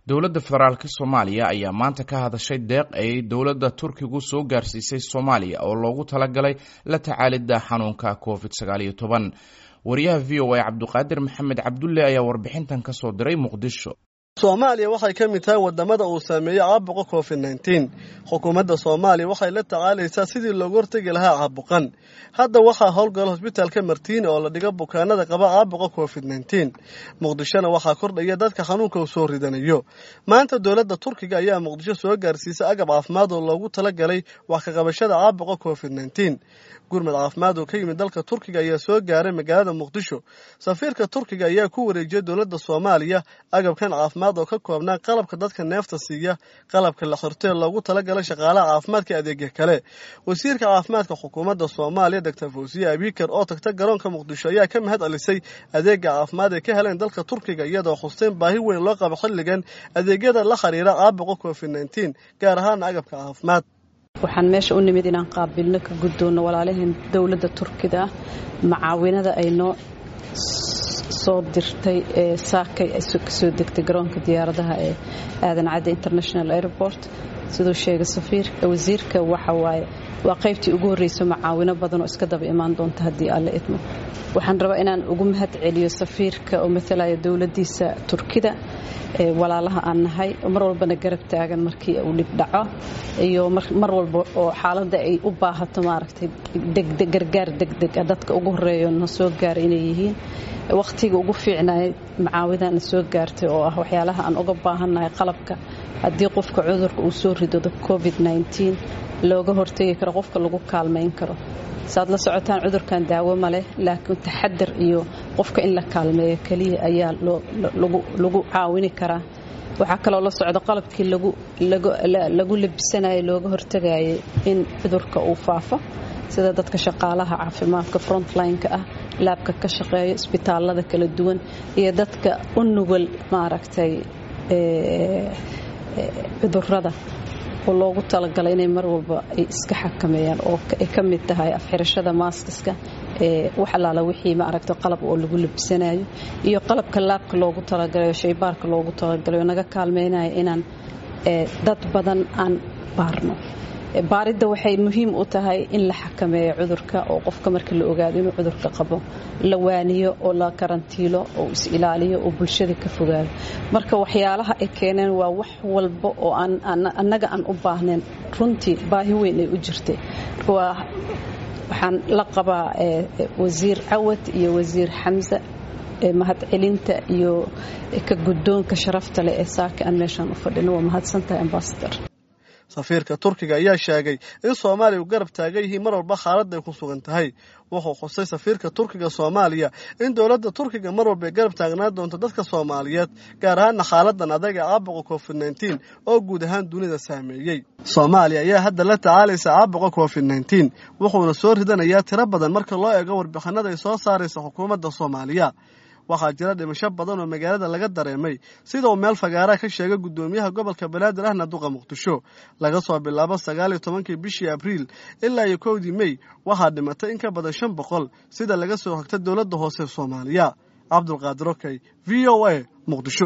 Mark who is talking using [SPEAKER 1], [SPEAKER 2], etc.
[SPEAKER 1] Dowladda federaalka Soomaaliya ayaa maanta ka hadashay deeq ay dowladda Turkigu soo gaarsiisay Soomaaliya oo loogu talagalay la tacaalidda xanuunka Covid-19. Wariyaha VOA Cabduqaadir Maxamed Cabdulle ayaa warbixintan ka soo diray Muqdisho.
[SPEAKER 2] Soomaaliya waxay ka mid tahay wadamada uu saameeyey caabuqa Covid-19. Xukuumadda Soomaaliya waxay la tacaalaysaa sidii loogu hortegi lahaa caabuqan. Hadda waxaa howlgala hosbitaalka Martiini oo la dhigo bukaanada qaba caabuqa Covid-19. Muqdishona waxaa kordhaya dadka xanuunka uu soo ridanayo. Maanta dowladda Turkiga ayaa Muqdisho soo gaarsiisay agab caafimaad oo loogu talagalay wax ka qabashada caabuqa Covid-19. Gurmad caafimaad oo ka yimid dalka Turkiga ayaa soo gaaray magaalada Muqdisho. Safiirka Turkiga ayaa ku wareejiyey dowladda Soomaaliya agabkan caafimaad oo ka koobnaa qalabka dadka neefta siiya, qalabka la xirtee loogu talagalay shaqaalaha caafimaadka, adeegya kale. Wasiirka caafimaadka xukuumadda Soomaaliya Doctor Fawsiye Abiikar oo tagta garoonka Muqdisho ayaa ka mahad celisay adeega caafimaad ee ka heleen dalka Turkiga, iyadoo xusteen baahi weyn loo qabo xilligan adeegyada la xiriira caabuqa Covid-19, gaar ahaana agabka caafimaad.
[SPEAKER 3] Waxaan meesha u nimid inaan qaabilno, ka guddoonno walaalaheen dowladda Turkida macaawinada ay noo soo dirtay ee saakay ay kasoo degtay garoonka diyaaradaha ee Aadan Cadde International Airport. Siduu sheegay safiirka, wasiirka, waxa waaye waa qaybtii ugu horreysay macaawino badan oo iska daba imaan doonta haddii Alle idmo. Waxaan rabaa inaan ugu mahad celiyo safiirka oo matalaya dowladdiisa Turkida, walaalaha aan nahay, mar walbana garab taagan markii uu dhib dhaco iyo mar walba oo xaaladda ay u baahato, maaragtay, degdeg gargaar degdeg ah dadka ugu horreeyo na soo gaara inay yihiin. Wakhtiga ugu fiicnaay macaawidan na soo gaartay oo ah waxyaalaha aan uga baahannahay, qalabka haddii qofka cudurka uu soo rido Covid-19 looga hortegi karo, qofka lagu kaalmayn karo. Saad la socotaan, cudurkan daawo ma leh, laakiin taxadar iyo qofka in la kaalmeeyo keliya ayaa lagu caawini karaa. Waxaa kaloo la socda qalabkii lagu labisanayo, looga hortagayay in cudurka uu faafo, sida dadka shaqaalaha caafimaadka frontline-ka ah, laabka ka shaqeeya, isbitaalada kala duwan iyo dadka u nugul, maaragtay, cudurada oo loogu talagalay inay mar walba ay iska xakameeyaan, oo ay ka mid tahay afxirashada, maaskiska, wax allaala wixii, maaragta, qalab oo lagu labisanayo iyo qalabka laabka loogu talagalayo, shaybaarka loogu talagalayo, naga kaalmeynaya inaan dad badan aan baarno. Baaridda waxay muhiim u tahay in la xakameeyo cudurka, oo qofka marka la ogaado inuu cudurka qabo la waaniyo oo la karantiilo oo is ilaaliyo oo bulshada ka fogaado. Marka waxyaalaha ay keeneen waa wax walba oo annaga aan u baahnayn, runtii baahi weyn ay u jirtay. Marka waxaan la qabaa wasiir Cawad iyo wasiir Xamse mahadcelinta iyo ka guddoonka sharafta leh ee saaka aan meeshaan u fadhino. Waa mahadsantahay, ambasador.
[SPEAKER 2] Safiirka Turkiga ayaa sheegay in Soomaaliya u garab taagan yihiin mar walba xaaladda ay ku sugan tahay. Wuxuu xusay safiirka Turkiga Soomaaliya in dowladda Turkiga mar walba ay garab taagnaan doonto dadka Soomaaliyeed, gaar ahaana xaaladan adag ee caabuqa Covid-19 oo guud ahaan dunida saameeyey. Soomaaliya ayaa hadda la tacaalaysa caabuqa Covid-19, wuxuuna soo ridanayaa tiro badan marka loo eego warbixinada ay soo saaraysa xukuumadda Soomaaliya. Waxaa jira dhimasho badan oo magaalada laga dareemay, sida uu meel fagaaraha ka sheegay guddoomiyaha gobolka Banaadir ahna duqa Muqdisho. Laga soo bilaabo 19-kii bishii Abriil ilaa iyo 1-dii Mey waxaa dhimatay in ka badan 500, sida laga soo xigta dowladda hoose Soomaaliya. Cabdulqaadir Okey, VOA, Muqdisho.